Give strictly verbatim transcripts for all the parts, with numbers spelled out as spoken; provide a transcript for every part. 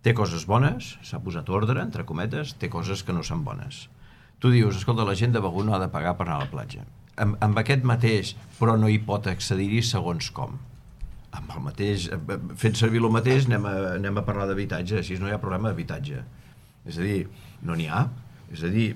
té coses bones, s'ha posat ordre, entre cometes, té coses que no són bones. Tu dius, escolta, la gent de Begur no ha de pagar per anar a la platja. Amb, amb aquest mateix, però no hi pot accedir-hi segons com. Amb el mateix, fent servir el mateix, anem a, anem a parlar d'habitatge, així no hi ha problema d'habitatge. És a dir, no n'hi ha. És a dir,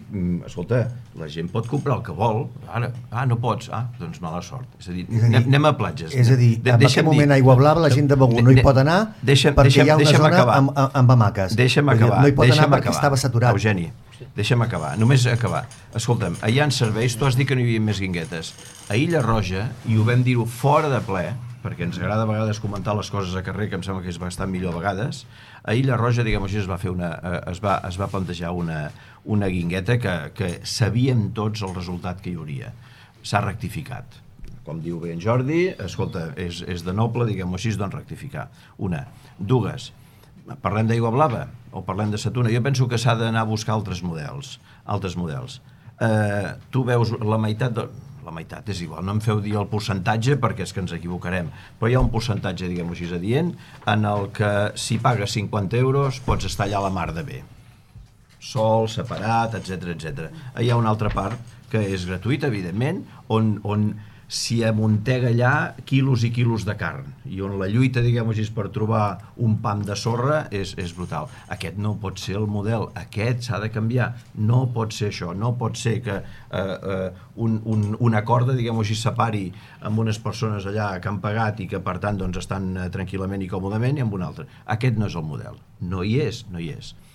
escolta, la gent pot comprar el que vol, ara, ah, no pots, ah, doncs mala sort. És a dir, és a dir anem, anem a platges. És a dir, en aquest moment a Aigua Blava la gent de Begur no hi pot anar deixa'm, perquè deixa'm, hi ha una zona acabar. amb, amb hamaques. Deixa'm acabar. No hi pot deixa'm anar perquè acabar. estava saturat. Eugeni, deixa'm acabar, només acabar. Escolta'm, allà en serveis, tu has dit que no hi havia més guinguetes. A Illa Roja, i ho vam dir-ho fora de ple, perquè ens agrada a vegades comentar les coses a carrer, que em sembla que és bastant millor a vegades, a Illa Roja, diguem així, es va fer una, es va, es va plantejar una, una guingueta que, que sabíem tots el resultat que hi hauria. S'ha rectificat. Com diu bé en Jordi, escolta, és, és de noble, diguem-ho així, doncs rectificar. Una. Dues. Parlem d'Aigua Blava o parlem de Sa Tuna. Jo penso que s'ha d'anar a buscar altres models. Altres models. Eh, tu veus la meitat de... la meitat és igual, no em feu dir el percentatge perquè és que ens equivocarem, però hi ha un percentatge, diguem-ho així, adient, en el que si pagues cinquanta euros pots estar allà a la mar de bé. Sol, separat, etcètera, etcètera. Hi ha una altra part que és gratuïta, evidentment, on, on s'hi amuntega allà quilos i quilos de carn, i on la lluita, diguem-ho així, per trobar un pam de sorra és, és brutal. Aquest no pot ser el model, aquest s'ha de canviar, no pot ser això, no pot ser que eh, eh, un, un, una corda, diguem-ho així, separi amb unes persones allà que han pagat i que per tant doncs, estan eh, tranquil·lament i còmodament i amb una altra. Aquest no és el model, no hi és, no hi és.